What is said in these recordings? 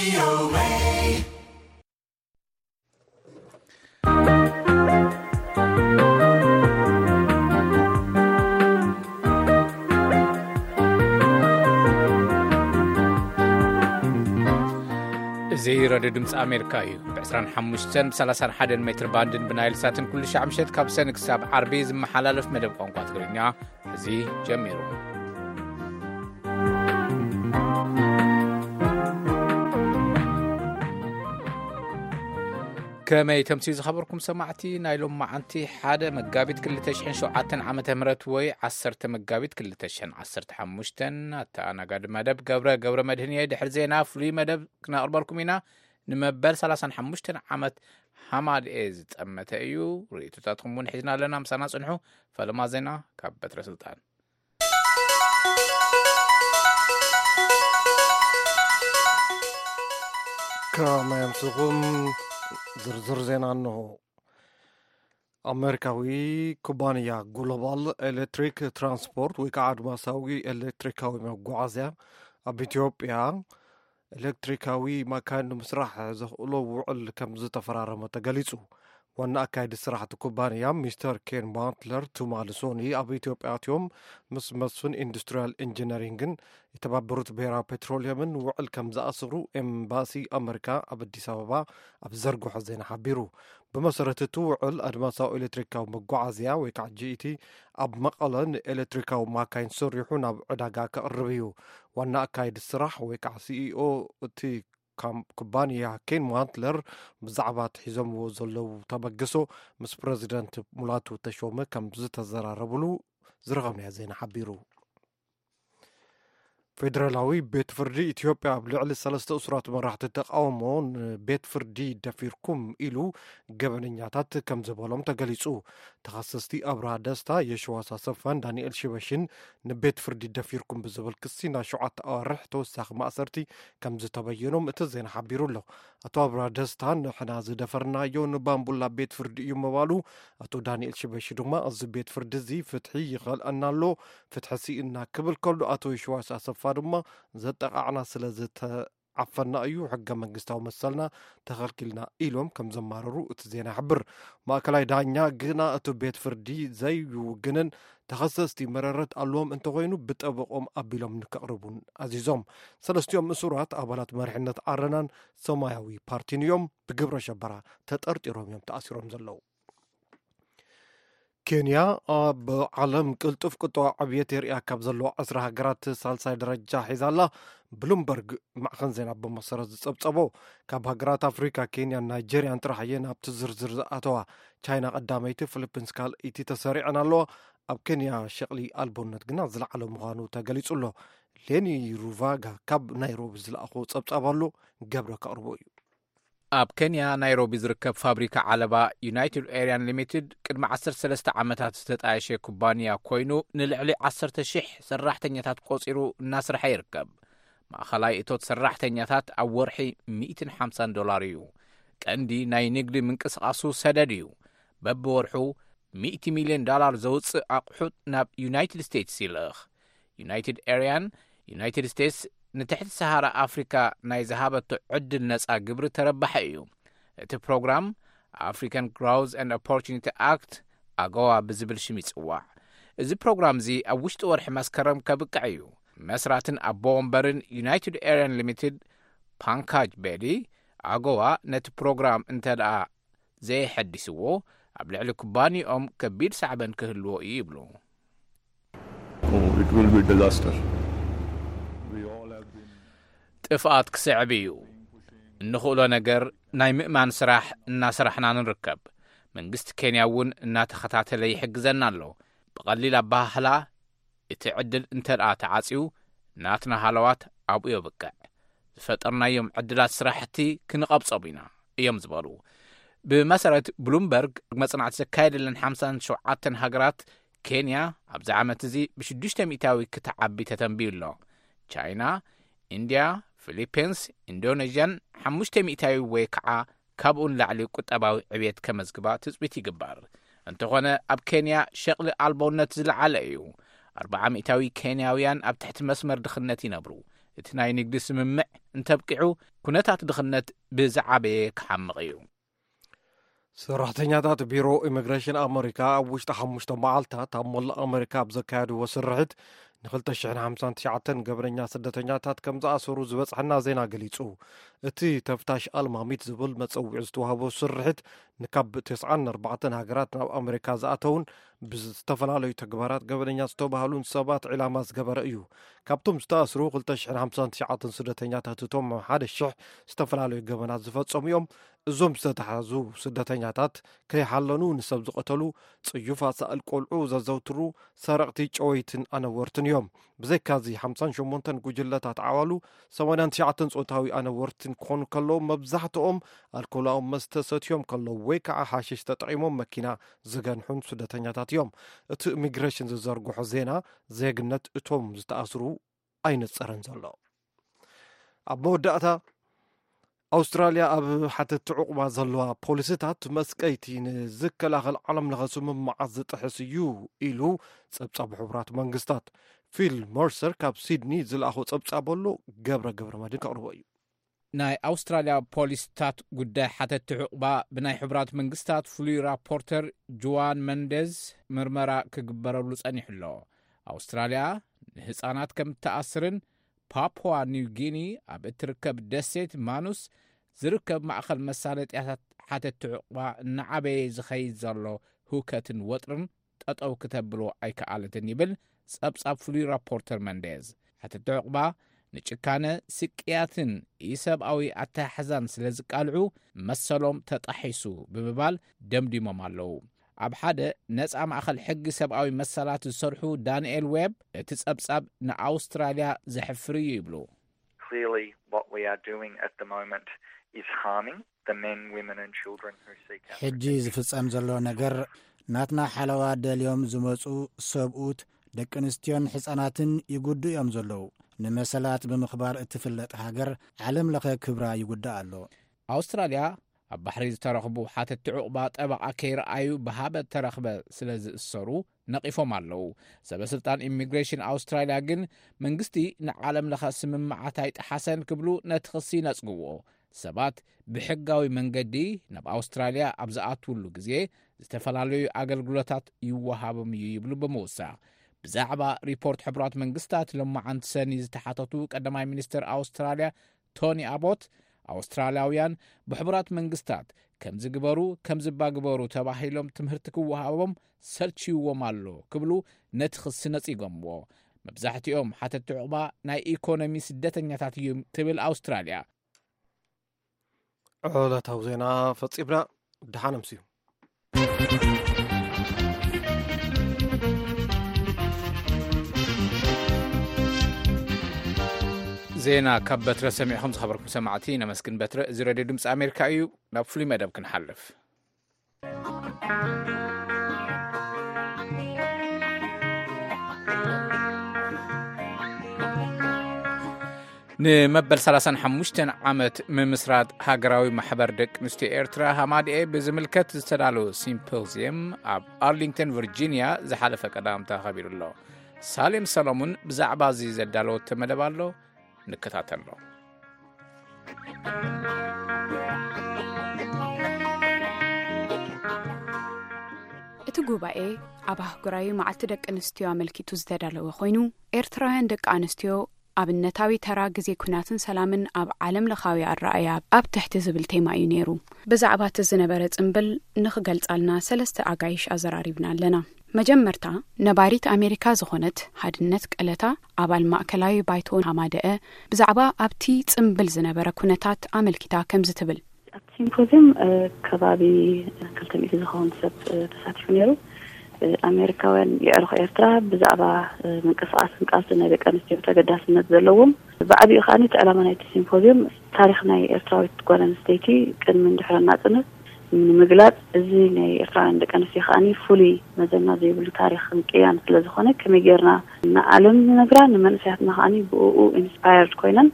እዚ ራድዮ ድምፂ ኣሜሪካ እዩ። ብ ዕስራን ሓሙሽተን ብ ሰላሳን ሓደን ሜትር ባንድን ብናይል ሳትን ኩሉ ሻዕ ምሸት ካብ ሰኒ ክሳብ ዓርቢ ዝመሓላለፍ መደብ ቋንቋ ትግርኛ እዚ ጀሚሩ። ከመይ ተምስዩ ዝኸበርኩም ሰማዕቲ፣ ናይ ሎም መዓንቲ ሓደ መጋቢት ክልተ ሽሕን ሸውዓተን ዓመተ ምህረት ወይ ዓሰርተ መጋቢት ክልተ ሽሕን ዓሰርተ ሓሙሽተን ኣተኣናጋዲ መደብ ገብረ ገብረ መድህን እየ። ድሕሪ ዜና ፍሉይ መደብ ክነቕርበልኩም ኢና። ንመበል ሰላሳን ሓሙሽተን ዓመት ሃማድኤ ዝጠመተ እዩ። ርእይቶታትኩም እውን ሒዝና ኣለና። ምሳና ጽንሑ። ፈለማ ዜና ካብ በትረ ስልጣን። ከመይ ኣምስኹም? ዝርዝር ዜና እንሆ። ኣሜሪካዊ ኩባንያ ግሎባል ኤሌክትሪክ ትራንስፖርት ወይ ከዓ ኣድማሳዊ ኤሌክትሪካዊ መጓዓዝያ ኣብ ኢትዮጵያ ኤሌክትሪካዊ ማካይን ንምስራሕ ዘኽእሎ ውዕል ከም ዝተፈራረመ ተገሊጹ። ዋና ኣካየዲ ስራሕ እቲ ኩባንያ ሚስተር ኬን ማትለር ትማሊ ሶኒ ኣብ ኢትዮጵያ ኣትዮም ምስ መስፍን ኢንዱስትሪያል ኢንጂነሪንግን የተባበሩት ብሔራዊ ፔትሮሊየምን ውዕል ከም ዝኣስሩ ኤምባሲ ኣመሪካ ኣብ ኣዲስ ኣበባ ኣብ ዘርግሖ ዜና ሓቢሩ። ብመሰረት እቲ ውዕል ኣድማሳዊ ኤሌክትሪካዊ መጓዓዝያ ወይ ከዓ ጂ ኢ ቲ ኣብ መቐለ ንኤሌክትሪካዊ ማካይን ሰሪሑ ናብ ዕዳጋ ከቕርብ እዩ። ዋና ኣካየዲ ስራሕ ወይ ከዓ ሲ ኢ ኦ እቲ ካም-፣ ኩባንያ ኬን ማንትለር ብዛዕባ እቲ ሒዞምዎ ዘለዉ ተበግሶ ምስ ፕረዚደንት ሙላቱ ተሾመ ከም ዝተዘራረብሉ ዝረኸብናዮ ዜና ሓቢሩ። ፌደራላዊ ቤት ፍርዲ ኢትዮጵያ ኣብ ልዕሊ ሰለስተ እሱራት መራሕቲ ተቃውሞ ንቤት ፍርዲ ደፊርኩም ኢሉ ገበነኛታት ከም ዝበሎም ተገሊጹ። ተኸሰስቲ ኣብርሃ ደስታ፣ የሽዋስ ኣሰፋን ዳንኤል ሽበሽን ንቤት ፍርዲ ደፊርኩም ብዝብል ክሲ ናብ ሸውዓተ ኣዋርሕ ተወሳኺ ማእሰርቲ ከም ዝተበየኖም እቲ ዜና ሓቢሩ ኣሎ። ኣቶ ኣብርሃ ደስታ፣ "ንሕና ዝደፈርናዮ ንባምቡላ ቤት ፍርዲ እዩ" ምባሉ፣ ኣቶ ዳንኤል ሽበሺ ድማ፣ "እዚ ቤት ፍርዲ እዚ ፍትሒ ይኸልአና ኣሎ፣ ፍትሒ ስኢንና" ክብል ከሎ፣ ኣቶ የሽዋስ ኣሰፋ ድማ፣ "ዘጠቓዕና ስለ ዝተዓፈና እዩ ሕገ መንግስታዊ መሰልና ተኸልኪልና" ኢሎም ከም ዘማረሩ እቲ ዜና ይሕብር። ማእከላይ ዳኛ ግና እቲ ቤት ፍርዲ ዘይውግንን ተኸሰስቲ መረረት ኣለዎም እንተኾይኑ ብጠበቆም ኣቢሎም ንከቕርቡን ኣዚዞም። ሰለስቲኦም እሱራት ኣባላት መሪሕነት ዓረናን ሰማያዊ ፓርቲን እዮም። ብግብረ ሸበራ ተጠርጢሮም እዮም ተኣሲሮም ዘለዉ። ኬንያ ኣብ ዓለም ቅልጡፍ ቁጠባዊ ዕብየት የርእያ ካብ ዘለዋ ዕስራ ሃገራት ሳልሳይ ደረጃ ሒዛ ኣላ። ብሉምበርግ ማዕኸን ዜና ብመሰረት ዝጸብጸቦ፣ ካብ ሃገራት ኣፍሪካ ኬንያን ናይጄርያን ጥራሕ እየን ኣብቲ ዝርዝር ዝኣተዋ። ቻይና ቀዳመይቲ፣ ፊሊፒንስ ካልኣይቲ ተሰሪዐን ኣለዋ። ኣብ ኬንያ ሸቕሊ ኣልቦነት ግና ዝለዓለ ምዃኑ ተገሊጹ ኣሎ። ሌኒ ሩቫጋ ካብ ናይሮቢ ዝለኣኾ ጸብጻብ ኣሎ፣ ገብረ ከቕርቦ እዩ። ኣብ ኬንያ ናይሮቢ ዝርከብ ፋብሪካ ዓለባ ዩናይትድ ኤርያን ሊሚትድ ቅድሚ ዓሰርተ ሰለስተ ዓመታት ዝተጣየሸ ኩባንያ ኮይኑ፣ ንልዕሊ ዓሰርተ ሽሕ ሰራሕተኛታት ቆጺሩ እናስርሐ ይርከብ። ማእኸላይ እቶት ሰራሕተኛታት ኣብ ወርሒ ሚእትን ሓምሳን ዶላር እዩ። ቀንዲ ናይ ንግዲ ምንቅስቓሱ ሰደድ እዩ። በብወርሑ ሚእቲ ሚልዮን ዶላር ዘውፅእ ኣቑሑት ናብ ዩናይትድ ስቴትስ ይልእኽ። ዩናይትድ ኤርያን፣ ዩናይትድ ስቴትስ ንትሕቲ ሰሃራ ኣፍሪካ ናይ ዝሃበቶ ዕድል ነፃ ግብሪ ተረባሒ እዩ። እቲ ፕሮግራም ኣፍሪካን ግሮውዝ ኤንድ ኦፖርቹኒቲ ኣክት፣ ኣጎዋ ብዝብል ሽም ይፅዋዕ። እዚ ፕሮግራም እዚ ኣብ ውሽጢ ወርሒ መስከረም ከብቅዕ እዩ። መስራትን ኣቦ ወንበርን ዩናይትድ ኤርያን ሊሚትድ ፓንካጅ ቤዲ፣ ኣጎዋ ነቲ ፕሮግራም እንተ ደኣ ዘየሐዲስዎ፣ ኣብ ልዕሊ ኩባንያኦም ከቢድ ሳዕበን ክህልዎ እዩ ይብሉ። Oh, it will be disaster. We all have been ጥፍኣት ክስዕብ እዩ። እንኽእሎ ነገር ናይ ምእማን ስራሕ እናሰራሕና ንርከብ። መንግስቲ ኬንያ እውን እናተኸታተለ ይሕግዘና ኣሎ። ብቐሊል ኣበሃህላ፣ እቲ ዕድል እንተ ደኣ ተዓጽዩ፣ ናትና ሃለዋት ኣብኡ የብቅዕ። ዝፈጠርናዮም ዕድላት ስራሕቲ ክንቐብጾም ኢና፣ እዮም ዝበሉ። ብመሰረት ብሉምበርግ መጽናዕቲ ዘካየደለን ሓምሳን ሸውዓተን ሃገራት፣ ኬንያ ኣብዚ ዓመት እዚ ብሽዱሽተ ሚእታዊ ክትዓቢ ተተንብዩ ኣሎ። ቻይና፣ ኢንድያ፣ ፊሊፒንስ፣ ኢንዶኔዥያን ሓሙሽተ ሚእታዊ ወይ ከዓ ካብኡ ንላዕሊ ቁጠባዊ ዕብየት ከመዝግባ ትጽቢት ይግበር። እንተኾነ ኣብ ኬንያ ሸቕሊ ኣልቦነት ዝለዓለ እዩ። ኣርብዓ ሚእታዊ ኬንያውያን ኣብ ትሕቲ መስመር ድኽነት ይነብሩ። እቲ ናይ ንግዲ ስምምዕ እንተብቂዑ፣ ኩነታት ድኽነት ብዝዓበየ ክሓምቕ እዩ። ሰራሕተኛታት ቢሮ ኢሚግሬሽን ኣመሪካ ኣብ ውሽጢ ሓሙሽተ መዓልታት ኣብ መላእ ኣመሪካ ኣብ ዘካየድዎ ስርሒት ንክልተ ሽሕን ሓምሳን ትሽዓተን ገበነኛ ስደተኛታት ከም ዝኣሰሩ ዝበጽሐና ዜና ገሊጹ። እቲ ተፍታሽ ኣልማሚት ዝብል መጸውዒ ዝተዋህቦ ስርሒት ንካብ ተስዓን ኣርባዕተን ሃገራት ናብ ኣመሪካ ዝኣተውን ብዝተፈላለዩ ተግባራት ገበነኛ ዝተባህሉን ሰባት ዒላማ ዝገበረ እዩ። ካብቶም ዝተኣስሩ ክልተ ሽሕን ሓምሳን ትሽዓተን ስደተኛታት እቶም ሓደ ሽሕ ዝተፈላለዩ ገበናት ዝፈጸሙ እዮም። እዞም ዝተታሕዙ ስደተኛታት ከይሓለኑ ንሰብ ዝቐተሉ፣ ጽዩፍ ኣሳእል ቆልዑ ዘዘውትሩ፣ ሰረቕቲ፣ ጨወይትን ኣነወርትን እዮም። ብዘይካዚ ሓምሳን ሸሞንተን ጉጅለታት ዓዋሉ፣ ሰማንያን ትሽዓተን ጾታዊ ኣነወርትን ክኾኑ ከለዉ፣ መብዛሕትኦም ኣልኮላዊ መስተ ሰትዮም ከለዉ ወይ ከዓ ሓሽሽ ተጠቒሞም መኪና ዝገንሑን ስደተኛታት እዮም። እቲ ኢሚግሬሽን ዝዘርግሖ ዜና ዜግነት እቶም ዝተኣስሩ ኣይነጸረን ዘሎ። ኣብ መወዳእታ፣ ኣውስትራልያ ኣብ ሓተቲ ዕቑባ ዘለዋ ፖሊሲታት መስቀይቲ ንዝከላኸል ዓለም ለኸ ስምምዓት ዝጥሕስ እዩ ኢሉ ጸብጻብ ሕቡራት መንግስታት። ፊል መርሰር ካብ ሲድኒ ዝለኣኾ ጸብጻብ ኣሎ፣ ገብረ ገብረ መድን ከቕርቦ እዩ። ናይ ኣውስትራልያ ፖሊሲታት ጉዳይ ሓተቲ ዕቑባ ብናይ ሕቡራት መንግስታት ፍሉይ ራፖርተር ጁዋን መንደዝ ምርመራ ክግበረሉ ጸኒሑ ኣሎ። ኣውስትራልያ ንህጻናት ከም እትኣስርን ፓፑዋ ኒው ጊኒ ኣብ እትርከብ ደሴት ማኑስ ዝርከብ ማእኸል መሳለጥያታት ሓተቲ ዕቑባ እናዓበየ ዝኸይድ ዘሎ ህውከትን ወጥርን ጠጠው ክተብሎ ኣይከኣለትን ይብል ጸብጻብ ፍሉይ ራፖርተር መንዴዝ። ሓተቲ ዕቑባ ንጭካነ፣ ስቅያትን ኢሰብኣዊ ኣተሓሕዛን ስለ ዝቃልዑ መሰሎም ተጣሒሱ ብምባል ደምዲሞም ኣለዉ። ኣብ ሓደ ነጻ ማእኸል ሕጊ ሰብኣዊ መሰላት ዝሰርሑ ዳንኤል ዌብ፣ እቲ ጸብጻብ ንኣውስትራልያ ዘሕፍር እዩ ይብሉ። Clearly, what we are doing at the moment is harming the men, women and children who seek our ሕጂ protection. ዝፍጸም ዘሎ ነገር ናትና ሓለዋ ደልዮም ዝመጹ ሰብኡት፣ ደቂ ኣንስትዮን ሕጻናትን ይጉዱ እዮም ዘለዉ። ንመሰላት ብምኽባር እትፍለጥ ሃገር ዓለም ለኸ ክብራ ይጉዳእ ኣሎ። ኣውስትራልያ ኣብ ባሕሪ ዝተረኽቡ ሓተቲ ዕቑባ ጠበቓ ከይረኣዩ ብሃበ ተረኽበ ስለ ዝእሰሩ ነቒፎም ኣለዉ። ሰበ ስልጣን ኢሚግሬሽን ኣውስትራልያ ግን መንግስቲ ንዓለም ለኸ ስምምዓት ኣይጠሓሰን ክብሉ ነቲ ክሲ ይነጽግዎ። ሰባት ብሕጋዊ መንገዲ ናብ ኣውስትራልያ ኣብ ዝኣትውሉ ግዜ ዝተፈላለዩ ኣገልግሎታት ይወሃቦም እዩ ይብሉ ብምውሳኽ። ብዛዕባ ሪፖርት ሕቡራት መንግስታት ሎማዓንቲ ሰኒ ዝተሓተቱ ቀዳማይ ሚኒስትር ኣውስትራልያ ቶኒ ኣቦት፣ ኣውስትራልያውያን ብሕቡራት መንግስታት ከም ዝግበሩ፣ ከም ዝባግበሩ ተባሂሎም ትምህርቲ ክወሃቦም ሰልችይዎም ኣሎ ክብሉ ነቲ ክሲ ነጺጎምዎ። መብዛሕትኦም ሓተቲ ዕቑባ ናይ ኢኮኖሚ ስደተኛታት እዮም ትብል ኣውስትራልያ። ዕለታዊ ዜና ፈጺምና። ደሓን ኣምስዩ። ዜና ካብ በትረ ሰሚዕኹም ዝኸበርኩም ሰማዕቲ ነመስግን። በትረ፣ እዚ ሬድዮ ድምፂ ኣሜሪካ እዩ። ናብ ፍሉይ መደብ ክንሓልፍ። ንመበል ሰላሳን ሓሙሽተን ዓመት ምምስራት ሃገራዊ ማሕበር ደቂ ኣንስትዮ ኤርትራ ሃማድኤ ብዝምልከት ዝተዳለወ ሲምፖዝየም ኣብ ኣርሊንግተን ቨርጂንያ ዝሓለፈ ቀዳም ተኸቢሩ ኣሎ። ሳሌም ሰሎሙን ብዛዕባ እዚ ዘዳለወቶ መደብ ኣሎ፣ ንከታተሎ። እቲ ጉባኤ ኣብ ኣህጉራዊ መዓልቲ ደቂ ኣንስትዮ ኣመልኪቱ ዝተዳለወ ኮይኑ፣ ኤርትራውያን ደቂ ኣንስትዮ ኣብነታዊ ተራ ግዜ ኩናትን ሰላምን ኣብ ዓለም ለኻዊ ኣረኣእያ ኣብ ትሕቲ ዝብል ቴማ እዩ ነይሩ። ብዛዕባ እቲ ዝነበረ ጽምብል ንኽገልጻልና ሰለስተ ኣጋይሽ ኣዘራሪብና ኣለና። መጀመርታ ነባሪት ኣሜሪካ ዝኾነት ሃድነት ቀለታ፣ ኣባል ማእከላዊ ባይቶ ሃማደአ፣ ብዛዕባ ኣብቲ ጽምብል ዝነበረ ኩነታት ኣመልኪታ ከምዚ ትብል። ኣብቲ ሲምፖዝየም፣ እ፣ ከባቢ ክልተ ሚእቲ ዝኸውን ሰብ፣ እ፣ ተሳቲፉ ነይሩ። እ፣ ኣሜሪካውያን የዕሩኽ ኤርትራ ብዛዕባ፣ እ፣ ምንቅስቓስን ቃልስን ናይ ደቂ ኣንስትዮ ተገዳስነት ዘለዎም ብዓቢኡ ከኣ እቲ ዕላማ ናይቲ ሲምፖዝየም ታሪኽ ናይ ኤርትራዊት ጓል ኣንስተይቲ ቅድምን ድሕርን ናጽነት ንምግላጽ፣ እዚ ናይ ኤርትራውያን ደቂ ኣንስትዮ ከኣ ፍሉይ መዘና ዘይብሉ ታሪኽን ቅያን ስለ ዝኾነ፣ ከመይ ጌርና ንዓለም ንነግራ፣ ንመንእሰያትና ከኣ ብእኡ ኢንስፓየርድ ኮይነን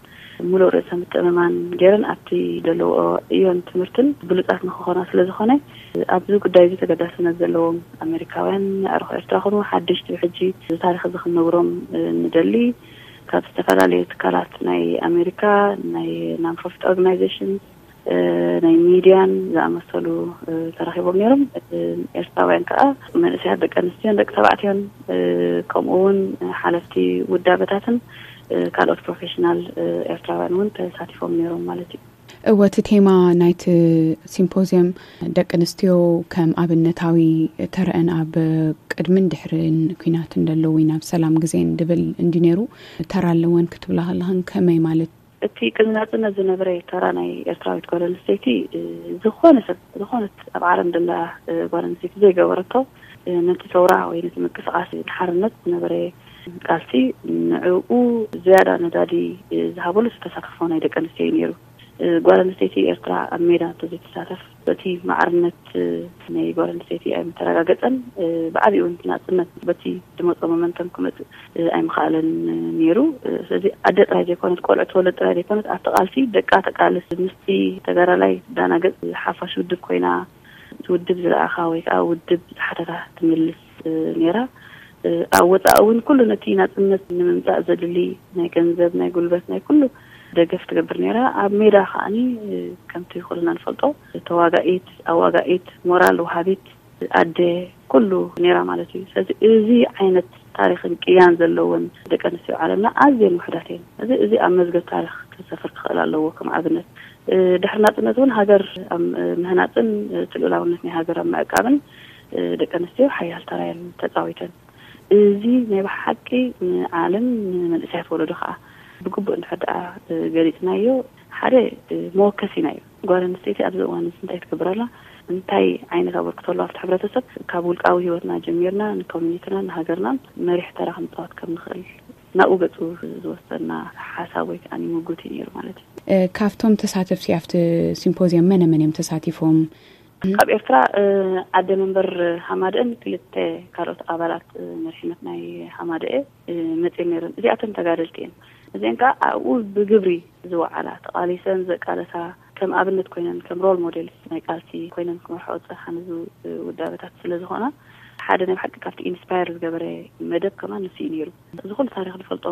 ምሉእ ርእሰ ምትእምማን ጌረን ኣብቲ ዘለውኦ ዕዮን ትምህርትን ብሉጻት ንክኾና ስለ ዝኾነ፣ ኣብዚ ጉዳይ እዚ ተገዳስነት ዘለዎም ኣሜሪካውያን፣ ኣዕሩኽ ኤርትራ ኮኑ ሓደሽቲ ብሕጂ እዚ ታሪኽ እዚ ክንነግሮም፣ እ፣ ንደሊ። ካብ ዝተፈላለዩ ትካላት ናይ ኣሜሪካ፣ ናይ non-profit organization፣ ናይ ሚድያን ዝኣመሰሉ ተረኺቦም ነይሮም። ኤርትራውያን ከዓ መንእሰያት፣ ደቂ ኣንስትዮን ደቂ ተባዕትዮን፣ ከምኡ እውን ሓለፍቲ ውዳበታትን ካልኦት ፕሮፌሽናል ኤርትራውያን እውን ተሳቲፎም ነይሮም ማለት እዩ። እወ፣ እቲ ቴማ ናይቲ ሲምፖዝየም ደቂ ኣንስትዮ ከም ኣብነታዊ ተረአን ኣብ ቅድምን ድሕርን ኲናትን ደለዉ ናብ ሰላም ግዜን ድብል እንዲ ነይሩ። ተራ ኣለወን ክትብላ ከለኽን ከመይ ማለት? እቲ ቅድሚ ናጽነት ዝነበረ ተራ ናይ ኤርትራዊት ጓል ኣንስተይቲ፣ ዝኾነ ሰብ፣ ዝኾነት ኣብ ዓለም ደላ ጓል ኣንስተይቲ ዘይገበረቶ፣ ነቲ ሰውራ ወይ ነቲ ምንቅስቃስ ሓርነት ዝነበረ ቃልሲ፣ ንዕኡ ዝያዳ ነዳዲ ዝሃበሉ ተሳትፎ ናይ ደቂ ኣንስትዮ እዩ ነይሩ። ጓል ኣንስተይቲ ኤርትራ ኣብ ሜዳ እንተዘይትሳተፍ፣ በቲ ማዕርነት ናይ ጓል ኣንስተይቲ ኣይምተረጋገጸን። ብዓቢኡ እውን ናጽነት በቲ ዝመጾ ሞመንተም ክመጽእ ኣይምኸኣለን ነይሩ። ስለዚ ኣደ ጥራይ ዘይኮነት፣ ቆልዑ ትወለድ ጥራይ ዘይኮነት፣ ኣብቲ ቃልሲ ደቃ ተቃልስ፣ ምስቲ ተጋዳላይ ዳና ገጽ ሓፋሽ ውድብ ኮይና፣ እቲ ውድብ ዝለኣኻ ወይ ከዓ ውድብ ዝሓተታ ትምልስ ነይራ። ኣብ ወፃኢ እውን ኩሉ ነቲ ናፅነት ንምምፃእ ዘድሊ ናይ ገንዘብ፣ ናይ ጉልበት፣ ናይ ኩሉ ደገፍ ትገብር ነይራ። ኣብ ሜዳ ከዓኒ ከምቲ ኩልና ንፈልጦ ተዋጋኢት፣ ኣዋጋኢት፣ ሞራል ወሃቢት ኣደ ኩሉ ነይራ ማለት እዩ። ስለዚ እዚ ዓይነት ታሪኽን ቅያን ዘለወን ደቂ ኣንስትዮ ዓለምና ኣዝየን ውሕዳት እየን። እዚ እዚ ኣብ መዝገብ ታሪኽ ክሰፍር ክኽእል ኣለዎ። ከም ኣብነት ድሕሪ ናፅነት እውን ሃገር ኣብ ምህናፅን እቲ ልኡላውነት ናይ ሃገር ኣብ ምዕቃብን ደቂ ኣንስትዮ ሓያል ተራ እየን ተፃዊተን። እዚ ናይ ብሓቂ ንዓለም ንመንእሰያት ወለዶ ከዓ ብግቡእ እንድሕር ደኣ ገሊፅናዮ ሓደ መወከሲና እዩ። ጓል ኣንስተይቲ ኣብዚ እዋን እዚ እንታይ ትገብር ኣላ? እንታይ ዓይነት ኣበርክቶ ኣለዋ ኣብቲ ሕብረተሰብ? ካብ ውልቃዊ ህይወትና ጀሚርና ንኮሚኒቲናን ንሃገርናን መሪሕ ተራ ክንፃወት ከም ንኽእል ናብኡ ገፁ ዝወሰድና ሓሳብ ወይ ከዓ ምጉት እዩ ነይሩ ማለት እዩ። ካብቶም ተሳተፍቲ ኣብቲ ሲምፖዝየም መነ መን እዮም ተሳቲፎም? ካብ ኤርትራ ኣደ መንበር ሃማደአን ክልተ ካልኦት ኣባላት መሪሕነት ናይ ሃማደአ መፅየን ነይረን። እዚኣተን ተጋደልቲ እየን። እዚአን ከዓ ኣብኡ ብግብሪ ዝወዓላ፣ ተቓሊሰን ዘቃለሳ፣ ከም ኣብነት ኮይነን፣ ከም ሮል ሞዴልስ ናይ ቃልሲ ኮይነን ክመርሖ ዝፀንሓ ንዙ ውዳበታት ስለ ዝኾና፣ ሓደ ናይ ብሓቂ ካብቲ ኢንስፓየር ዝገበረ መደብ ከማን ንሱ እዩ ነይሩ። እዚ ኩሉ ታሪኽ ንፈልጦ፣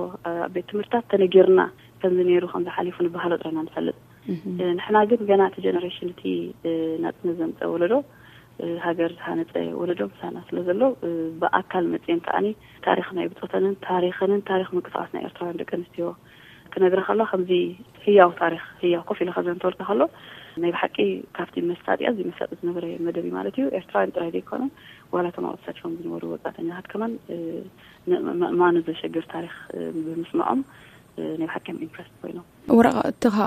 ኣብ ቤት ትምህርትታት ተነጊርና ከምዚ ነይሩ፣ ከምዚ ሓሊፉ ንበሃሎ ጥራና ንፈልጥ። ንሕና ግን ገና እቲ ጀነሬሽን፣ እቲ ናፅነት ዘምፀ ወለዶ፣ ሃገር ዝሃነፀ ወለዶ ምሳና ስለ ዘሎ፣ ብኣካል መፅየን ከዓኒ ታሪኽ ናይ ብፆተንን ታሪኸንን ታሪኽ ምንቅስቃስ ናይ ኤርትራውያን ደቂ ኣንስትዮ ክነግራ ከሎ፣ ከምዚ ህያው ታሪኽ፣ ህያው ኮፍ ኢለ ከዘንተወልካ ከሎ፣ ናይ ብሓቂ ካብቲ መሳጢ፣ ኣዝዩ መሳጢ ዝነበረ መደብ እዩ ማለት እዩ። ኤርትራውያን ጥራይ ዘይኮነ፣ ዋላ እቶም ኣብኡ ተሳቲፎም ዝነበሩ ወፃእተኛታት ከማን፣ ን-፣ ምእማኑ ዘሸግር ታሪኽ ብምስምዖም፣ ናይ ብሓቂ እዮም ኢምፕረስድ ኮይኖም። ወረቓቕቲ ከዓ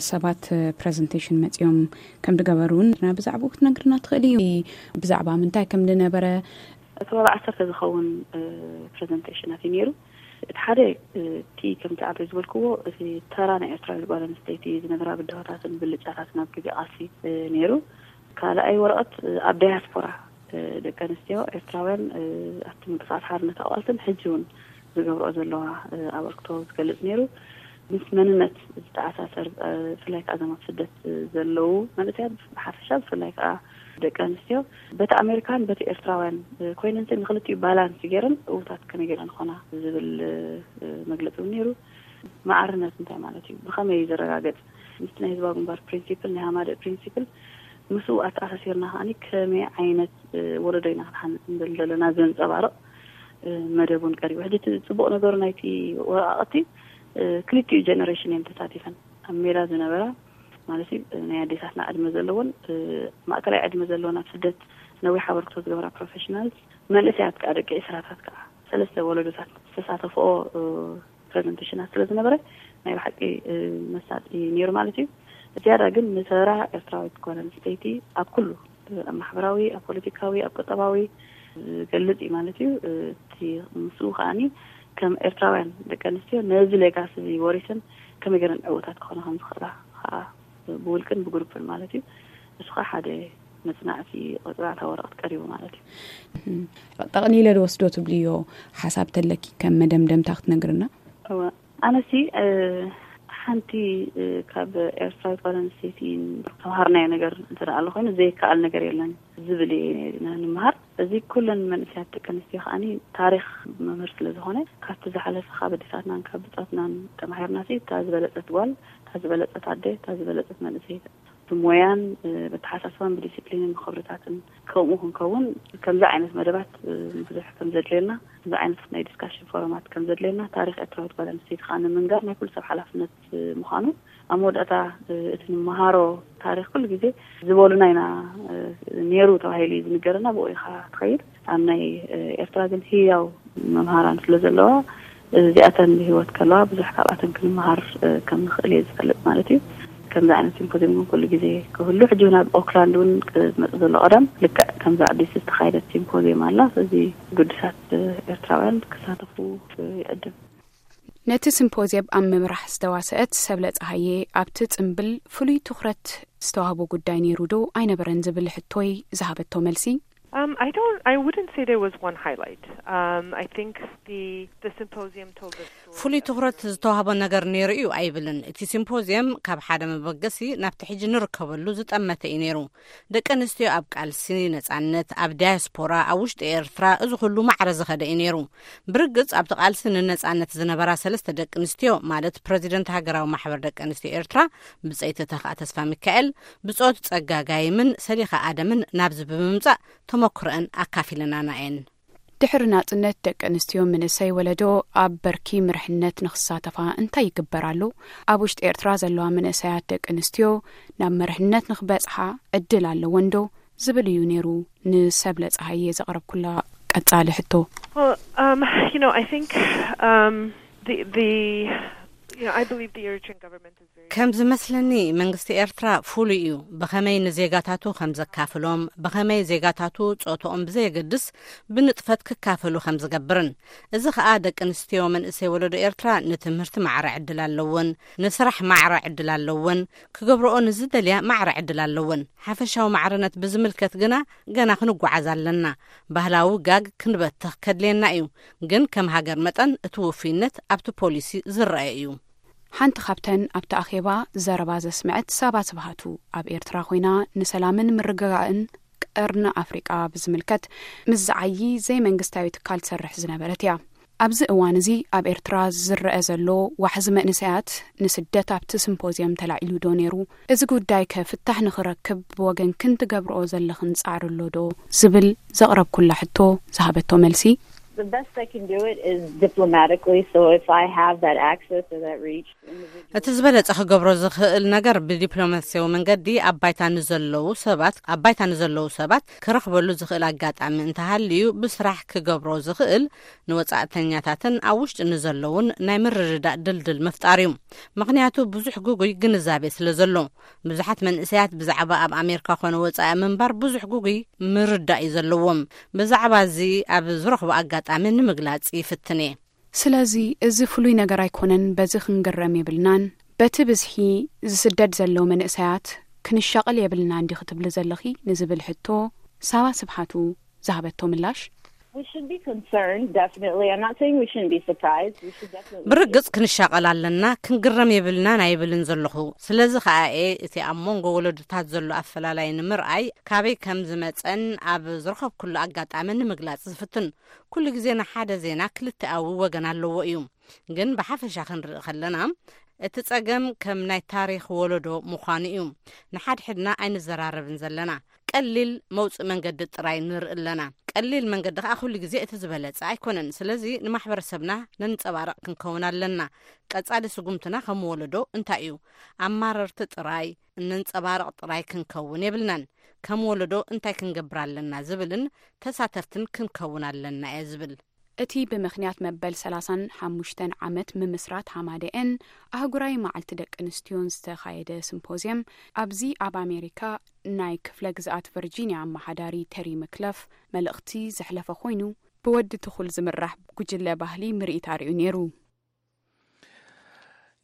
ሰባት ፕረዘንቴሽን መፂኦም ከም ዝገበሩ እውን ብዛዕባኡ ክትነግርና ትኽእል እዩ? ብዛዕባ ምንታይ ከም ዝነበረ? እቲ ወላ ዓሰርተ ዝኸውን ፕረዘንቴሽናት እዩ ነይሩ። እቲ ሓደ፣ እቲ ከምቲ ዓበይ ዝበልክዎ፣ እቲ ተራ ናይ ኤርትራዊት ጓል ኣንስተይቲ ዝነበራ ብድሆታትን ብልጫታትን ኣብ ግዜ ቃልሲ ነይሩ። ካልኣይ ወረቐት ኣብ ዳያስፖራ ደቂ ኣንስትዮ ኤርትራውያን ኣብቲ ምንቅስቃስ ሓርነት ኣቋልትን ሕጂ እውን ዝገብርኦ ዘለዋ ኣበርክቶ ዝገልጽ ነይሩ። ምስ መንነት ዝተኣሳሰር፣ ብፍላይ ከዓ እዞም ኣብ ስደት ዘለዉ መንእሰያት ብሓፈሻ፣ ብፍላይ ከዓ ደቂ ኣንስትዮ በቲ ኣሜሪካን በቲ ኤርትራውያን ኮይነን፣ ንክልቲኡ ባላንስ ገይረን እውታት ከመይ ገይረን ኾና ዝብል መግለፂ እውን ነይሩ። ማዕርነት እንታይ ማለት እዩ? ብኸመይ እዩ ዝረጋገፅ? ምስቲ ናይ ህዝባዊ ግንባር ፕሪንሲፕል፣ ናይ ሃማደእ ፕሪንሲፕል፣ ምስኡ ኣተኣሳሲርና ከዓኒ ከመይ ዓይነት ወለዶ ኢና ክንሓንፅ ንደሊ ዘለና ዘንፀባርቕ መደብ እውን ቀሪቡ። ሕጂ እቲ ፅቡቕ ነገሩ ናይቲ ወረቓቕቲ፣ ክልቲኡ ጀነሬሽን እየን ተሳቲፈን። ኣብ ሜዳ ዝነበራ ማለት እዩ፣ ናይ ኣዴታትና ዕድመ ዘለዎን ማእከላይ ዕድመ ዘለዎን ኣብ ስደት ነዊሕ ኣበርክቶ ዝገብራ ፕሮፌሽናልስ፣ መንእሰያት ከዓ ደቂ ዒስራታት ከዓ ሰለስተ ወለዶታት ዝተሳተፍኦ ፕረዘንቴሽናት ስለ ዝነበረ ናይ ብሓቂ መሳጢ ነይሩ ማለት እዩ። ዝያዳ ግን ንተራ ኤርትራዊት ጓል ኣንስተይቲ ኣብ ኩሉ፣ ኣብ ማሕበራዊ፣ ኣብ ፖለቲካዊ፣ ኣብ ቁጠባዊ ዝገልጽ እዩ ማለት እዩ። እቲ ምስኡ ከዓኒ ከም ኤርትራውያን ደቂ ኣንስትዮ ነዚ ሌጋሲ እዚ ወሪሰን ከመይ ገይረን ዕዉታት ክኾና ከም ዝኽእላ ከዓ ብውልቅን ብግሩፕን ማለት እዩ። እሱ ከዓ ሓደ መጽናዕቲ፣ መጽናዕታዊ ወረቐት ቀሪቡ ማለት እዩ። ጠቕሊለ ዝወስዶ ትብልዮ ሓሳብ ተለኪ ከም መደምደምታ ክትነግርና? እወ፣ ኣነሲ ሓንቲ ካብ ኤርትራዊት ጓል ኣንስተይቲ ተምሃርናዮ ነገር እንተ ኣሎ ኮይኑ ዘይከኣል ነገር የለን ዝብል እየ። ንምሃር እዚ ኩለን መንእሰያት ደቂ ኣንስትዮ ከዓኒ ታሪኽ መምህር ስለ ዝኾነ ካብቲ ዝሓለፈ ካብ ኣዴታትናን ካብ ብጾትናን ተማሂርና ሲ እታ ዝበለጸት ጓል፣ እታ ዝበለጸት ኣደ፣ እታ ዝበለጸት መንእሰይ ብሞያን ብኣተሓሳስባን ብዲሲፕሊንን ብኽብርታትን ከምኡ ክንከውን ከምዚ ዓይነት መደባት ብዙሕ ከም ዘድልየና፣ ከምዚ ዓይነት ናይ ዲስካሽን ፎረማት ከም ዘድልየና ታሪኽ ኤርትራዊት ጓል ኣንስተይቲ ከዓ ንምንጋር ናይ ኩሉ ሰብ ሓላፍነት ምዃኑ ኣብ መወዳእታ እቲ ንመሃሮ ታሪኽ ኩሉ ግዜ ዝበሉና ኢና ነይሩ ተባሂሉ እዩ ዝንገረና። ብኡ ኢኻ ትኸይድ። ኣብ ናይ ኤርትራ ግን ህያው መምሃራን ስለ ዘለዋ እዚኣተን ብህይወት ከለዋ ብዙሕ ካብኣተን ክንመሃር ከም ንኽእል እየ ዝፈልጥ ማለት እዩ። ከምዚ ዓይነት ሲምፖዚየም እውን ኩሉ ግዜ ክህሉ፣ ሕጂ እውን ኣብ ኦክላንድ እውን ዝመጽእ ዘሎ ቀዳም ልክዕ ከምዚ ኣዲስ ዝተኻየደት ሲምፖዚየም ኣላ። ስለዚ ግዱሳት ኤርትራውያን ክሳተፉ ይዕድም። ነቲ ሲምፖዝየም ኣብ ምምራሕ ዝተዋስአት ሰብለ ጸሃየ ኣብቲ ጽምብል ፍሉይ ትኹረት ዝተዋህቦ ጉዳይ ነይሩ ዶ ኣይነበረን ዝብል ሕቶይ ዝሃበቶ መልሲ፣ Um, I don't. I wouldn't say there was one highlight. Um, I think the the symposium told a story. ፍሉይ ትኹረት ዝተዋህቦ ነገር ነይሩ እዩ ኣይብልን። እቲ ሲምፖዝየም ካብ ሓደ መበገሲ ናብቲ ሕጂ ንርከበሉ ዝጠመተ እዩ ነይሩ። ደቂ ኣንስትዮ ኣብ ቃልሲ ነጻነት፣ ኣብ ዳያስፖራ፣ ኣብ ውሽጢ ኤርትራ፣ እዚ ኩሉ ማዕረ ዝኸደ እዩ ነይሩ። ብርግጽ ኣብቲ ቃልሲ ንነጻነት ዝነበራ ሰለስተ ደቂ ኣንስትዮ ማለት ፕረዚደንት ሃገራዊ ማሕበር ደቂ ኣንስትዮ ኤርትራ ብጸይቲ ተኽኣ ተስፋ ሚካኤል፣ ብጾት ጸጋ ጋይምን ሰሊኻ ኣደምን ናብዚ ብምምጻእ ተመክሮአን ኣካፊለናና እየን። ድሕሪ ናጽነት ደቂ ኣንስትዮ ምንእሰይ ወለዶ ኣብ በርኪ ምርሕነት ንኽሳተፋ እንታይ ይግበር ኣሎ? ኣብ ውሽጢ ኤርትራ ዘለዋ ምንእሰያት ደቂ ኣንስትዮ ናብ መርሕነት ንኽበጽሓ ዕድል ኣለወን ዶ? ዝብል እዩ ነይሩ ንሰብለ ጸሃየ ዘቕረብኩላ ቀጻሊ ሕቶ። Well, um, you know, I think um, the the you know, I believe the Eritrean government is very ከም ዝመስለኒ መንግስቲ ኤርትራ ፍሉይ እዩ። ብኸመይ ንዜጋታቱ ከም ዘካፍሎም፣ ብኸመይ ዜጋታቱ ጾትኦም ብዘየገድስ ብንጥፈት ክካፈሉ ከም ዝገብርን፣ እዚ ኸኣ ደቂ ኣንስትዮ መንእሰይ ወለዶ ኤርትራ ንትምህርቲ ማዕረ ዕድል ኣለወን፣ ንስራሕ ማዕረ ዕድል ኣለወን፣ ክገብርኦ ንዝደልያ ማዕረ ዕድል ኣለወን። ሓፈሻዊ ማዕርነት ብዝምልከት ግና ገና ክንጓዓዝ ኣለና። ባህላዊ ጋግ ክንበትኽ ከድልየና እዩ። ግን ከም ሃገር መጠን እቲ ውፉይነት ኣብቲ ፖሊሲ ዝረአ እዩ። ሓንቲ ካብተን ኣብቲ ኣኼባ ዘረባ ዘስምዐት ሳባ ስብሃቱ ኣብ ኤርትራ ኮይና ንሰላምን ምርግጋእን ቀርኒ ኣፍሪቃ ብዝምልከት ምስ ዝዓዪ ዘይመንግስታዊ ትካል ትሰርሕ ዝነበረት እያ። ኣብዚ እዋን እዚ ኣብ ኤርትራ ዝረአ ዘሎ ዋሕዚ መንእሰያት ንስደት ኣብቲ ሲምፖዝየም ተላዒሉ ዶ ነይሩ? እዚ ጉዳይ ከ ፍታሕ ንኽረክብ ብወገንክን ትገብርኦ ዘለኽን ጻዕሪ ኣሎ ዶ? ዝብል ዘቕረብኩላ ሕቶ ዝሃበቶ መልሲ፣ The best I can do it is diplomatically. So if I have that access or that reach, individual እቲ ዝበለጸ ክገብሮ ዝኽእል ነገር ብዲፕሎማሲያዊ መንገዲ ኣብ ባይታ ንዘለዉ ሰባት ኣብ ባይታ ንዘለዉ ሰባት ክረኽበሉ ዝኽእል ኣጋጣሚ እንተሃልዩ ብስራሕ ክገብሮ ዝኽእል ንወጻእተኛታትን ኣብ ውሽጢ ንዘለዉን ናይ ምርድዳእ ድልድል ምፍጣር እዩ። ምኽንያቱ ብዙሕ ግጉይ ግንዛቤ ስለ ዘሎ፣ ብዙሓት መንእሰያት ብዛዕባ ኣብ ኣሜሪካ ኮነ ወጻኢ ምንባር ብዙሕ ግጉይ ምርዳእ እዩ ዘለዎም። ብዛዕባ እዚ ኣብ ዝረኽቦ ኣጋጣሚ ንምግላጽ ይፍትን እየ። ስለዚ እዚ ፍሉይ ነገር ኣይኮነን፣ በዚ ክንግረም የብልናን። በቲ ብዝሒ ዝስደድ ዘሎ መንእሰያት ክንሻቐል የብልናን ዲኺ ትብሊ ዘለኺ ንዝብል ሕቶ ሳባ ስብሓቱ ዝሃበቶ ምላሽ፣ We should be concerned, definitely. I'm not saying we shouldn't be surprised. We should definitely be ብርግጽ ክንሻቐል ኣለና፣ ክንግረም የብልናን ኣይብልን ዘለኹ። ስለዚ ኸኣ እየ እቲ ኣብ መንጎ ወለዶታት ዘሎ ኣፈላላይ ንምርኣይ ካበይ ከም ዝመጸን ኣብ ዝረኸብኩሉ ኣጋጣሚ ንምግላጽ ዝፍትን። ኩሉ ግዜ ንሓደ ዜና ክልተኣዊ ወገን ኣለዎ እዩ። ግን ብሓፈሻ ክንርኢ ከለና፣ እቲ ጸገም ከም ናይ ታሪኽ ወለዶ ምዃኑ እዩ። ንሓድሕድና ኣይንዘራረብን ዘለና። ቀሊል መውጽእ መንገዲ ጥራይ ንርኢ ኣለና። ቀሊል መንገዲ ከኣ ኩሉ ግዜ እቲ ዝበለጸ ኣይኮነን። ስለዚ ንማሕበረሰብና ነንጸባርቕ ክንከውን ኣለና። ቀጻሊ ስጉምትና ከም ወለዶ እንታይ እዩ? ኣማረርቲ ጥራይ፣ እነንጸባርቕ ጥራይ ክንከውን የብልናን። ከም ወለዶ እንታይ ክንገብር ኣለና ዝብልን ተሳተፍትን ክንከውን ኣለና እየ ዝብል። እቲ ብምኽንያት መበል ሰላሳን ሓሙሽተን ዓመት ምምስራት ሃማደኤን ኣህጉራዊ መዓልቲ ደቂ ኣንስትዮን ዝተኻየደ ሲምፖዝየም፣ ኣብዚ ኣብ ኣሜሪካ ናይ ክፍለ ግዝኣት ቨርጂንያ ኣመሓዳሪ ተሪ ምክለፍ መልእኽቲ ዘሕለፈ ኮይኑ፣ ብወዲ ትኹል ዝምራሕ ጉጅለ ባህሊ ምርኢት ኣርእዩ ነይሩ።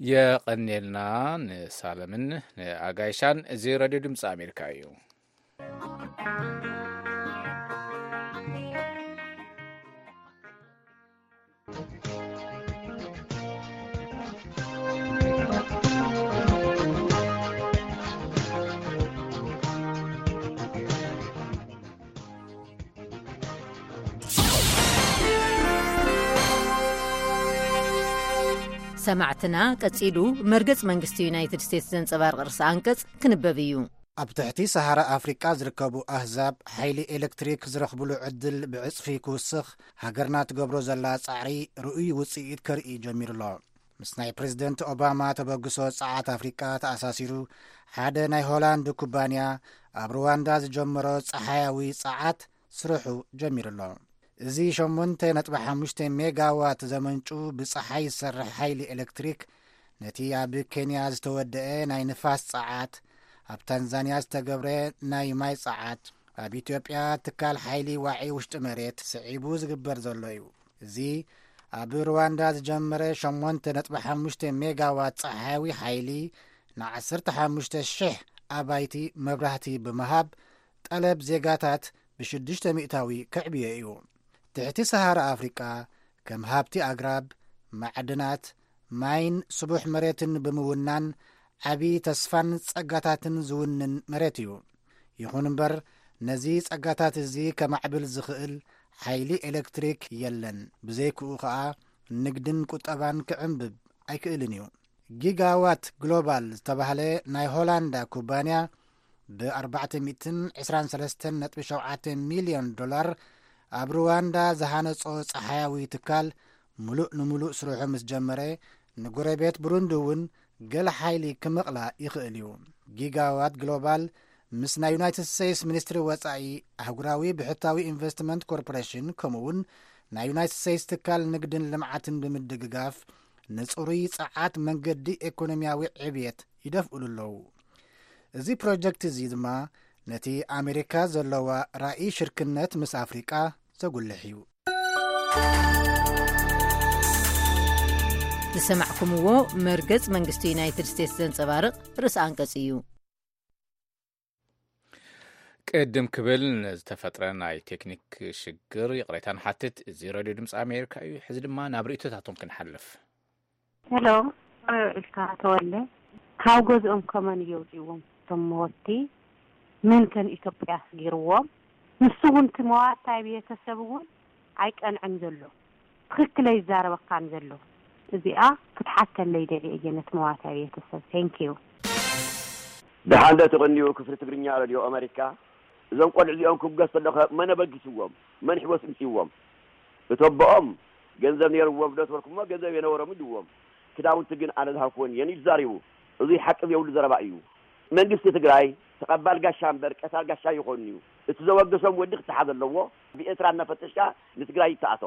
የቐንየልና ንሳለምን ንኣጋይሻን። እዚ ሬድዮ ድምፂ ኣሜሪካ እዩ። ሰማዕትና፣ ቀጺሉ መርገጽ መንግስቲ ዩናይትድ ስቴትስ ዘንጸባርቕ ርእሰ ኣንቀጽ ክንበብ እዩ። ኣብ ትሕቲ ሰሃራ ኣፍሪቃ ዝርከቡ ኣህዛብ ሓይሊ ኤሌክትሪክ ዝረኽብሉ ዕድል ብዕጽፊ ክውስኽ ሃገርና ትገብሮ ዘላ ጻዕሪ ርኡይ ውጽኢት ከርኢ ጀሚሩ ኣሎ። ምስ ናይ ፕሬዝደንት ኦባማ ተበግሶ ጸዓት ኣፍሪቃ ተኣሳሲሩ፣ ሓደ ናይ ሆላንድ ኩባንያ ኣብ ሩዋንዳ ዝጀመሮ ጸሓያዊ ጸዓት ስርሑ ጀሚሩ ኣሎ። እዚ ሸሞንተ ነጥቢ ሓሙሽተ ሜጋዋት ዘመንጩ ብጸሓይ ዝሰርሕ ሓይሊ ኤሌክትሪክ፣ ነቲ ኣብ ኬንያ ዝተወደአ ናይ ንፋስ ጸዓት፣ ኣብ ታንዛንያ ዝተገብረ ናይ ማይ ጸዓት፣ ኣብ ኢትዮጵያ ትካል ሓይሊ ዋዒ ውሽጢ መሬት ስዒቡ ዝግበር ዘሎ እዩ። እዚ ኣብ ሩዋንዳ ዝጀመረ ሸሞንተ ነጥቢ ሓሙሽተ ሜጋዋት ጸሓያዊ ሓይሊ ንዓሰርተ ሓሙሽተ ሽሕ ኣባይቲ መብራህቲ ብምሃብ፣ ጠለብ ዜጋታት ብሽዱሽተ ሚእታዊ ከዕብዮ እዩ። ትሕቲ ሰሃራ ኣፍሪቃ ከም ሃብቲ ኣግራብ፣ ማዕድናት፣ ማይን ስቡሕ መሬትን ብምውናን ዓቢ ተስፋን ጸጋታትን ዝውንን መሬት እዩ። ይኹን እምበር፣ ነዚ ጸጋታት እዚ ከማዕብል ዝኽእል ሓይሊ ኤሌክትሪክ የለን። ብዘይክኡ ኸኣ ንግድን ቁጠባን ክዕንብብ ኣይክእልን እዩ። ጊጋዋት ግሎባል ዝተባህለ ናይ ሆላንዳ ኩባንያ ብ ኣርባዕተ ሚእትን ዕስራን ሰለስተን ነጥቢ ሸውዓተ ሚልዮን ዶላር ኣብ ሩዋንዳ ዝሃነጾ ጸሓያዊ ትካል፣ ምሉእ ንምሉእ ስርሑ ምስ ጀመረ፣ ንጎረቤት ብሩንዲ እውን ገለ ሓይሊ ክመቕላ ይኽእል እዩ። ጊጋዋት ግሎባል ምስ ናይ ዩናይትድ ስቴትስ ሚኒስትሪ ወጻኢ፣ ኣህጉራዊ ብሕታዊ ኢንቨስትመንት ኮርፖሬሽን፣ ከምኡ እውን ናይ ዩናይትድ ስቴትስ ትካል ንግድን ልምዓትን ብምድግጋፍ፣ ንጽሩይ ጸዓት መንገዲ ኤኮኖሚያዊ ዕብየት ይደፍእሉ ኣለዉ። እዚ ፕሮጀክት እዚ ድማ ነቲ ኣሜሪካ ዘለዋ ራእይ ሽርክነት ምስ ኣፍሪቃ ዘጉልሕ እዩ። ዝሰማዕኩምዎ መርገጽ መንግስቲ ዩናይትድ ስቴትስ ዘንጸባርቕ ርእሰ ኣንቀጽ እዩ። ቅድም ክብል ንዝተፈጥረ ናይ ቴክኒክ ሽግር ይቕሬታ ንሓትት። እዚ ሬድዮ ድምፂ ኣሜሪካ እዩ። ሕዚ ድማ ናብ ርእይቶታቶም ክንሓልፍ። ሄሎ፣ ርዕልካ ተወለ፣ ካብ ገዝኦም ከመን እየውፅዎም? እቶም መወቲ ምን ከን ኢትዮጵያ ኣስጊርዎም? ንሱ እውን እቲ መዋታይ ቤተሰብ እውን ኣይቀንዕን ዘሎ፣ ትኽክል ኣይዛረበካን ዘሎ። እዚኣ ክትሓተለይ ደልየ እየ ነቲ መዋታይ ቤተሰብ። Thank you። ደሓን ዶ ትቕንዩ ክፍሊ ትግርኛ ሬድዮ ኣመሪካ? እዞም ቆልዑ እዚኦም ክብገስ ተለኸ መን ኣበጊስዎም? መን ሕወስ ምፅዎም? እቶ ኣቦኦም ገንዘብ ነይርዎም ዶ ትበልኩሞ? ገንዘብ የነበሮም ኢልዎም። ክዳውንቲ ግን ኣነ ዝሃብኩወን እየን ኢሉ ተዛሪቡ። እዙይ ሓቂ ዘይብሉ ዘረባ እዩ። መንግስቲ ትግራይ ተቐባል ጋሻ እምበር ቀታል ጋሻ ኣይኾንን'ዩ። እቲ ዘወገሶም ወዲ ክተሓዝ ኣለዎ። ብኤርትራ እናፈተሽካ ንትግራይ ይተኣቶ።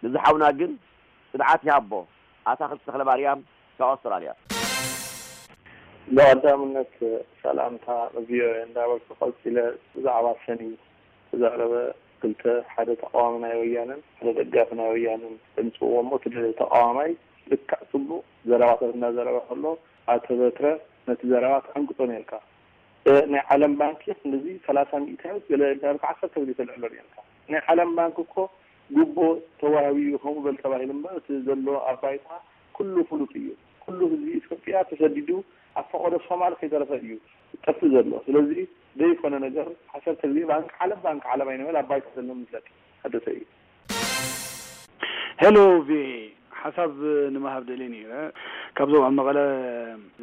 ንዝሓውና ግን ጽንዓት ይሃቦ። ኣታኽልቲ ተኽለማርያም ካብ ኣውስትራልያ። ብቐዳምነት ሰላምታ ንቪኦኤ እንዳበልኩ ቀጺለ ብዛዕባ ሰኒ ተዛረበ ክልተ ሓደ ተቃዋሚ ናይ ወያነን ሓደ ደጋፊ ናይ ወያነን ተምጽእዎ እሞ እቲ ተቃዋማይ ልክዕ ጽቡቕ ዘረባታት እንዳዘረበ ከሎ ኣቶ በትረ ነቲ ዘረባ ትዕንቅጾ ኔርካ። ናይ ዓለም ባንኪ ክንድዚ ሰላሳ ሚእታዊት ገለ እንዳበልካ ዓሰርተ ግዜ ተልዕሎ ኔርካ። ናይ ዓለም ባንኪ እኮ ጉቦ ተዋህቢኡ ከምኡ በል ተባሂሉ እምበር እቲ ዘሎ ኣብ ባይታ ኩሉ ፍሉጥ እዩ። ኩሉ ህዝቢ ኢትዮጵያ ተሰዲዱ ኣብ ፈቐዶ ሶማል ከይተረፈ እዩ ዝጠፍእ ዘሎ። ስለዚ ዘይኮነ ነገር ዓሰርተ ግዜ ባንክ ዓለም ባንክ ዓለም ኣይንበል ኣብ ባይታ ዘሎ ንፍለጥ ሓደሰ እዩ። ሄሎ ቪኦኤ ሓሳብ ንምሃብ ደልየ ነይረ። ካብዞም ኣብ መቐለ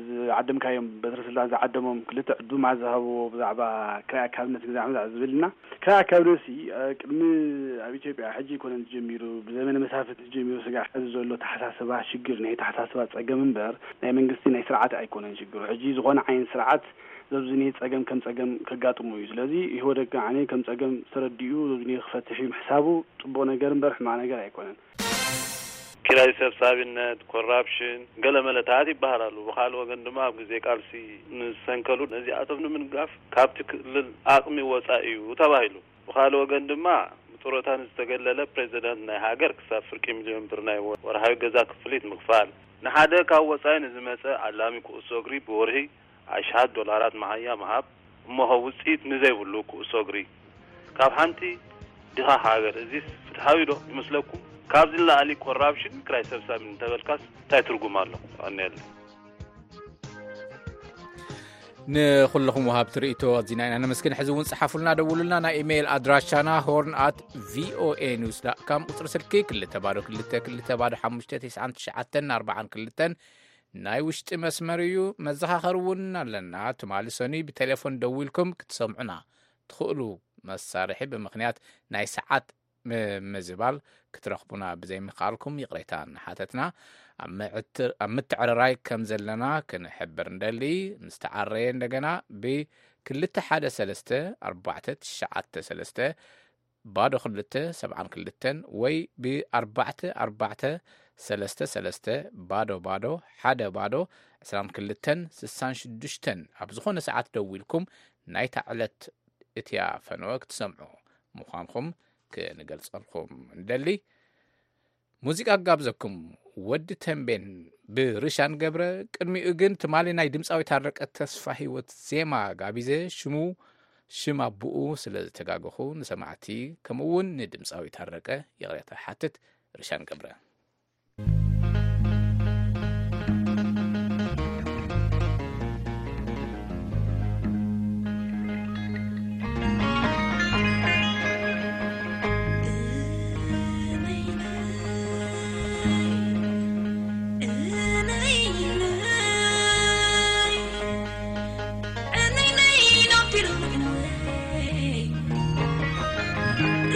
ዝዓደምካዮም በትረ ስልጣን ዝዓደሞም ክልተ ዕዱማት ዝሃብዎ ብዛዕባ ክራይ ኣካብነት ግዛዕ ምዛዕ ዝብልና ክራይ ኣካብነትሲ ቅድሚ ኣብ ኢትዮጵያ ሕጂ ኣይኮነን ዝጀሚሩ ብዘመነ መሳፍንቲ ዝጀሚሩ ስጋዕ ሕዚ ዘሎ ተሓሳስባ ሽግር ናይ ተሓሳስባ ጸገም እምበር ናይ መንግስቲ ናይ ስርዓት ኣይኮነን ሽግሩ። ሕጂ ዝኾነ ዓይነት ስርዓት ዘብዝኔ ጸገም ከም ጸገም ከጋጥሞ እዩ። ስለዚ ኢህወደግ ከዓኒ ከም ጸገም ተረዲኡ ዘብዝኔ ክፈትሕ እዩ ምሕሳቡ ጽቡቕ ነገር እምበር ሕማቕ ነገር ኣይኮነን። ኪራይ ሰብሳቢነት፣ ኮራፕሽን፣ ገለ መለታት ይበሃል ኣሎ። ብኻልእ ወገን ድማ ኣብ ግዜ ቃልሲ ንዝሰንከሉ ነዚኣቶም ንምንጋፍ ካብቲ ክልል ዓቕሚ ወጻኢ እዩ ተባሂሉ። ብኻልእ ወገን ድማ ብጡረታ ንዝተገለለ ፕሬዚዳንት ናይ ሃገር ክሳብ ፍርቂ ሚልዮን ብር ናይ ወርሃዊ ገዛ ክፍሊት ምኽፋል፣ ንሓደ ካብ ወጻኢ ንዝመጸ ዓላሚ ኩዕሶ እግሪ ብወርሒ ኣሽሓት ዶላራት መሃያ ምሃብ፣ እሞ ኸ ውጽኢት ንዘይብሉ ኩዕሶ እግሪ ካብ ሓንቲ ድኻ ሃገር፣ እዚስ ፍትሓዊ ዶ ይመስለኩም? ካብዚ ንላዕሊ ኮራፕሽን ክራይ ሰብሳቢ እንተበልካስ እንታይ ትርጉም ኣሎ? የቐንየለይ። ንኹልኹም ወሃብቲ ርእይቶ ኣዚና ኢና ነመስግን። ሕዚ እውን ጽሓፉልና፣ ደውሉልና። ናይ ኢሜይል ኣድራሻና ሆርን ኣት ቪኦኤ ኒውስ ዳት ካም፣ ቁጽሪ ስልኪ ክልተ ባዶ ክልተ ክልተ ባዶ ሓሙሽተ ተስዓን ትሽዓተን ኣርባዓን ክልተን ናይ ውሽጢ መስመር እዩ። መዘኻኸሪ እውን ኣለና። ትማሊ ሰኑይ ብቴሌፎን ደዊልኩም ክትሰምዑና ትኽእሉ መሳርሒ ብምኽንያት ናይ ሰዓት ም-፣ ምዝባል ክትረኽቡና ብዘይምኽኣልኩም ይቕሬታ እናሓተትና፣ ኣብ ምዕት-፣ ኣብ ምትዕርራይ ከም ዘለና ክንሕብር እንደሊ። ምስ ተዓረየ እንደገና ብክልተ ሓደ ሰለስተ ኣርባዕተ ትሽዓተ ሰለስተ ባዶ ክልተ ሰብዓን ክልተን ወይ ብኣርባዕተ ኣርባዕተ ሰለስተ ሰለስተ ባዶ ባዶ ሓደ ባዶ ዕስራን ክልተን ስሳን ሽዱሽተን ኣብ ዝኾነ ሰዓት ደዊልኩም ናይታ ዕለት እቲኣ ፈነወ ክትሰምዑ ምዃንኩም ክንገልጸልኩም እንደሊ። ሙዚቃ ጋብዘኩም፣ ወዲ ተንቤን ብርሻን ገብረ። ቅድሚኡ ግን ትማሊ ናይ ድምፃዊ ታረቀ ተስፋ ህይወት ዜማ ጋቢዘ፣ ሽሙ ሽም ኣቡኡ ስለ ዝተጋገኹ ንሰማዕቲ ከምኡ እውን ንድምፃዊ ታረቀ ይቕሬታ ሓትት። ርሻን ገብረ።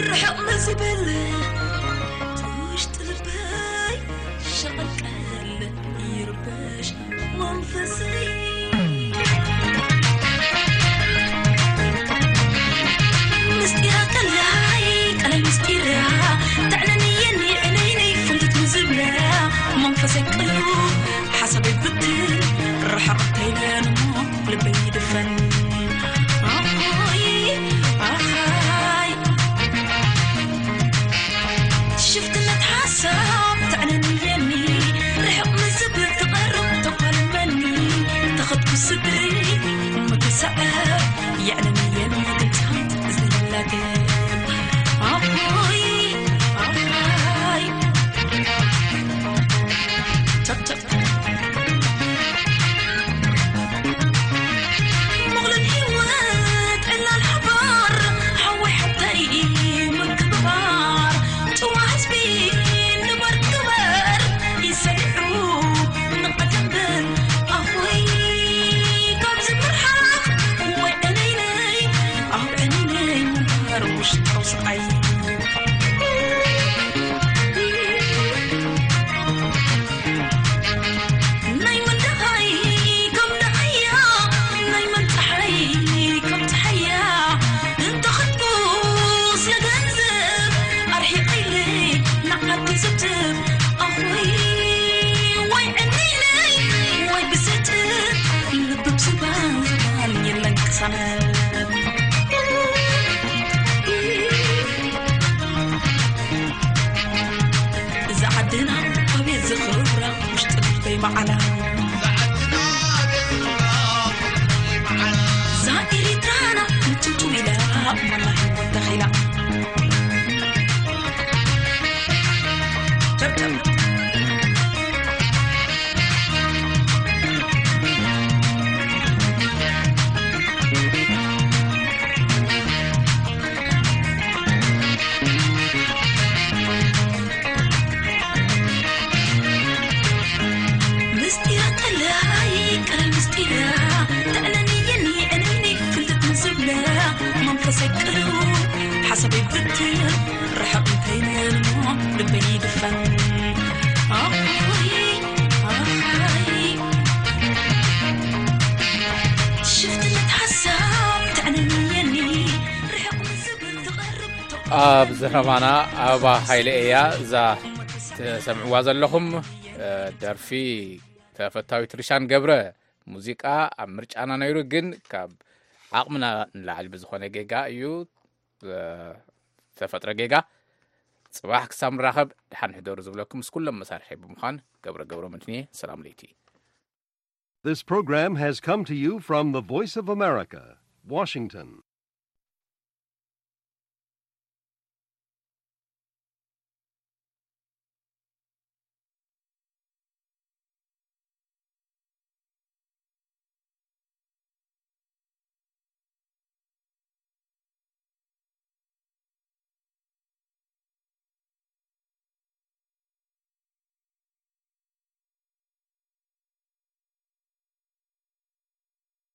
ርሕቕ ንዝብል ትውሽጢ ልበይ ሸቐልቀል ይርበሽ መንፈሰይ። ምስጢራ ቀላይ ቀላይ ምስጢራ ተዕለኒ የኒ ዕለይለይ ፍልትት ንዝብላ መንፈሰይ ቅሉ ሓሳበይ ብትን ርሕቕ ተይለን እሞ ልበይ ይድፈን። ኣኾይ ኣኻይ ሽፍትነት ሓሳብ ተዕነንየኒ ርሕቕ ንዝብል ትቐርብ ተፋልመኒ ተኸትኩ ስድሪ ምትስዐብ የዕነንየኒ ድምፃት እዝኒ ላገብ ኣቦይ ኣቦይ ቸብቸብ ሙቕልን ህይወት ዕላል ሓባር ሓወይ ሓብተይ ምክብባር ጭዋ ህዝቢ ንበር ክበር ይሰሪሑ ንቐደምበር ኣፎይ ካብዚ ምርሓቕ ወይ ዕነይነይ ኣብ ዕነይነይ ምንባር ውሽጣዊ ስቓይ ናይ መን ደሃይ ከም ደሃያ ናይ መን ፀሓይ ከም ፀሓያ እንተኸድኩስ ንገንዘብ ኣርሒቐ ኢለ ንዓዲ ዝብትብ ኣኾይ ወይ ዕንደይለይ ወይ ብስጭት ልብብ ዝባን ዝባን የለን ቅሳነት እዛ ዓድና ኣቤት ዝኽብራ ውሽጢ ልበይ መዓላ እዛ ኤሪትራና ምጭውጭው ኢላ መላ ህይወት ተኺላ ምስጢራ ቀላይ ቀላይ ምስጢራ ተዕለኒ የኒ ዕነይኒ ፍልጥት ምስብለ መንፈሰይ ቅሉ ሓሳበይ ብትን ርሕቕ እንተይነልሞ ልበይ ይድፈን ኣይ ኣይ ሽፍትነት ሓሳብ ተዕለኒ የኒ ርሕቕ ምስብል ትቐርብ ኣብ ዘረባና ኣበባ ሃይለ እያ እዛ ትሰምዕዋ ዘለኹም ደርፊ ተፈታዊት ርሻን ገብረ ሙዚቃ ኣብ ምርጫና ነይሩ ግን ካብ ዓቕምና ንላዕሊ ብዝኾነ ጌጋ እዩ ዝተፈጥረ ጌጋ። ጽባሕ ክሳብ ንራኸብ ድሓን ሕደሩ ዝብለኩም ምስ ኩሎም መሳርሒ ብምዃን ገብረ ገብረ መድህን እየ። ሰላም ለይቲ። This program has come to you from the Voice of America, Washington.